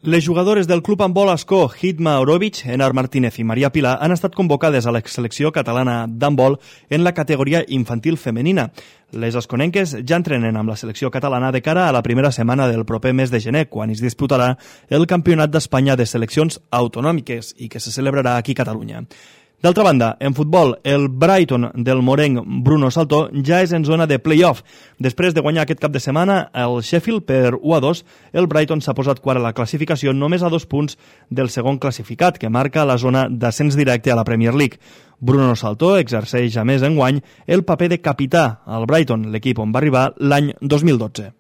Les jugadores del Club Handbol Ascó, Hitma Orovic, Enar Martínez i Maria Pilar, han estat convocades a la selecció catalana d'handbol en la categoria infantil femenina. Les asconenques ja entrenen amb la selecció catalana de cara a la primera setmana del proper mes de gener, quan es disputarà el Campionat d'Espanya de Seleccions Autonòmiques i que se celebrarà aquí a Catalunya. D'altra banda, en futbol, el Brighton del morenc Bruno Saltó ja és en zona de play-off. Després de guanyar aquest cap de setmana el Sheffield per 1-2, el Brighton s'ha posat quart a la classificació només a 2 punts del segon classificat, que marca la zona d'ascens directe a la Premier League. Bruno Saltó exerceix a més enguany el paper de capità al Brighton, l'equip on va arribar l'any 2012.